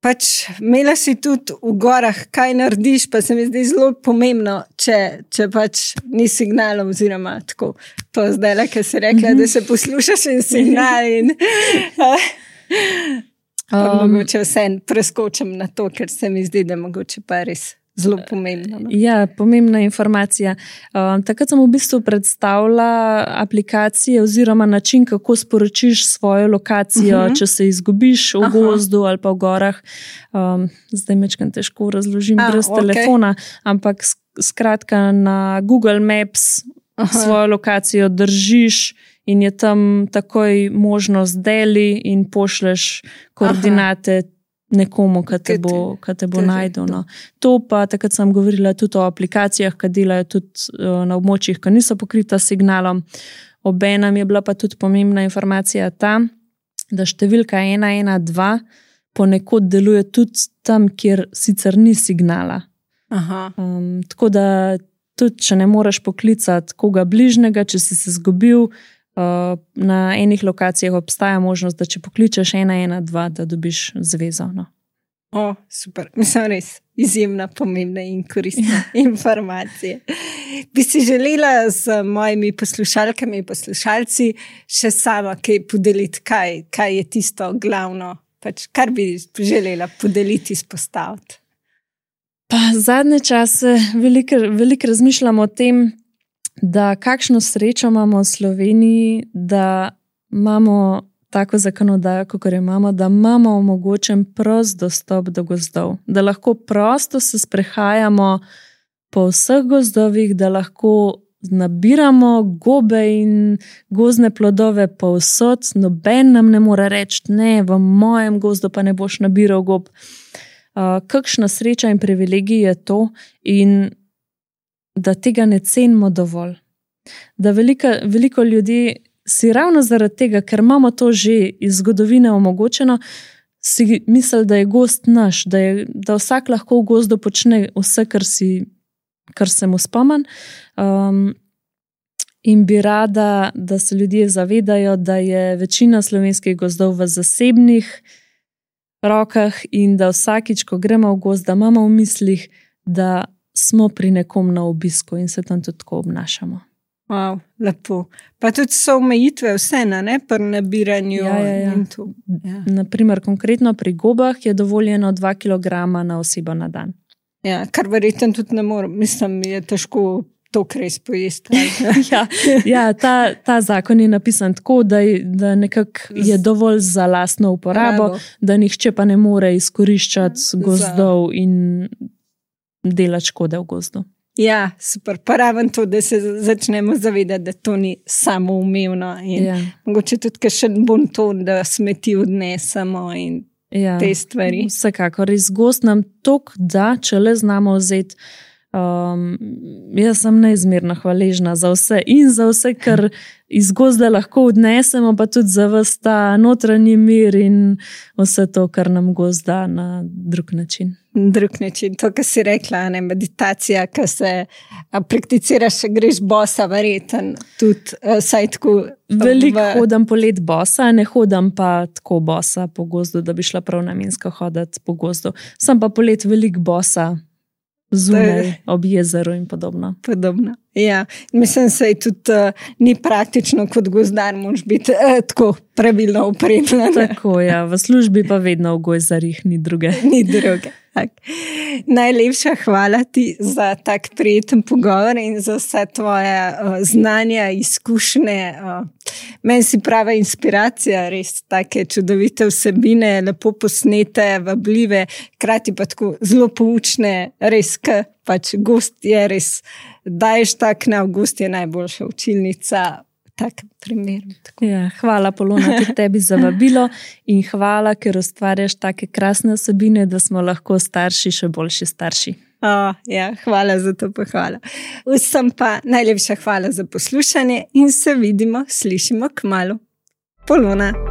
[SPEAKER 2] pač imela si tudi v gorah, kaj narediš, pa se mi zdi zelo pomembno, če, če pač ni signalov, oziroma tako, to zdaj, ki si rekla, mm-hmm. da se poslušaš in signal in pa um, mogoče vse preskočim na to, ker se mi zdi, da mogoče pa res zelo pomembno. No?
[SPEAKER 1] Ja, pomembna informacija. Um, takrat sem v bistvu predstavila aplikacije oziroma način, kako sporočiš svojo lokacijo, uh-huh. če se izgubiš v Aha. gozdu ali pa v gorah. Um, zdaj mečkam težko razložim A, brez okay. telefona, ampak skratka na Google Maps Aha. svojo lokacijo držiš in je tam takoj možnost deli in pošleš koordinate Aha. nekomu, ki te bo, te bo najdel. No. To pa, takrat sem govorila tudi o aplikacijah, ki delajo tudi na območjih, ki niso pokrita s signalom. Obenem je bila pa tudi pomembna informacija ta, da številka ena ena dva ponekod deluje tudi tam, kjer sicer ni signala.
[SPEAKER 2] Aha.
[SPEAKER 1] Um, tako da tudi, če ne moreš poklicati koga bližnjega, če si se zgubil, Uh, na enih lokacijah obstaja možnost, da če pokličeš ena ena dva, da dobiš zvezo. No.
[SPEAKER 2] O, super. Mislim, res izjemna, pomembna in koristna informacija. Bi si želela z mojimi poslušalkami in poslušalci še sama kaj podeliti, kaj, kaj je tisto glavno, pač, kar bi želela podeliti, izpostaviti?
[SPEAKER 1] Pa zadnje čase veliko, veliko razmišljam o tem, da kakšno srečo imamo v Sloveniji, da imamo tako zakonodajo, kot jo imamo, da imamo omogočen prost dostop do gozdov, da lahko prosto se sprehajamo po vseh gozdovih, da lahko nabiramo gobe in gozdne plodove povsod, noben nam ne more reči, ne, v mojem gozdu pa ne boš nabiral gob. Uh, kakšna sreča in privilegij je to in da tega ne cenimo dovolj. Da velika, veliko ljudi si ravno zaradi tega, ker imamo to že iz zgodovine omogočeno, si misli, da je gozd naš, da, je, da vsak lahko v gozdu počne vse, kar, si, kar se mu spomen. Um, in bi rada, da se ljudje zavedajo, da je večina slovenskih gozdov v zasebnih rokah in da vsakič, ko gremo v gozd, da imamo v mislih, da smo pri nekom na obisku in se tam tudi tako obnašamo.
[SPEAKER 2] Wow, lepo. Pa tudi so omejitve vse na ne, pri nabiranju.
[SPEAKER 1] Ja, ja, ja. Ja. Naprimer, konkretno pri gobah je dovoljeno dva kilograma na osebo na dan.
[SPEAKER 2] Ja, kar verjetno tudi ne morem. Mislim, je težko to res pojesti.
[SPEAKER 1] ja, ja ta, ta zakon je napisan tako, da, da nekako je dovolj za lastno uporabo, Bravo. Da nihče pa ne more izkoriščati gozdov za... in delati škode v gozdu.
[SPEAKER 2] Ja, super. Pa raven to, da se začnemo zavedati, da to ni samoumevno in ja. Mogoče tudi še bon ton, da smeti odnesemo in
[SPEAKER 1] ja,
[SPEAKER 2] te stvari.
[SPEAKER 1] Vsekakor, res gost nam tok da, če le znamo vzeti. Um, jaz sem neizmerno hvaležna za vse in za vse, kar iz gozda lahko odnesemo, pa tudi za vas ta notranji mir in vse to, kar nam gozd da na drug način.
[SPEAKER 2] Drug način, to, kar si rekla, ne, meditacija, ki se prakticiraš, greš bosa, verjeten, tudi saj tako.
[SPEAKER 1] Veliko
[SPEAKER 2] v...
[SPEAKER 1] hodam polet bosa, ne hodam pa tako bosa po gozdu, da bi šla prav namensko hoditi po gozdu. Sem pa polet veliko bosa, zunaj, ob jezeru in podobno.
[SPEAKER 2] Podobno, ja. Mislim, se je tudi uh, ni praktično kot gozdar, moraš biti uh, tako pravilno opremljen.
[SPEAKER 1] Tako, ja, v službi pa vedno v gojzarjih, ni druge.
[SPEAKER 2] Ni druge. Tak. Najlepša hvala ti za tak prijeten pogovor in za vse tvoje uh, znanja, izkušnje. Uh, meni si prava inspiracija, res take čudovite vsebine, lepo posnete, vabljive, hkrati pa tako zelo poučne, res, ker pač gost je res, daješ tak na gost je najboljša učilnica. Tak primer.
[SPEAKER 1] Ja, hvala, Polona, tudi tebi za vabilo in hvala, ker ustvarjaš take krasne osebine, da smo lahko starši še boljši starši.
[SPEAKER 2] Oh, ja, hvala za to pohvalo. Vsem pa najlepša hvala za poslušanje in se vidimo, slišimo kmalu. Polona.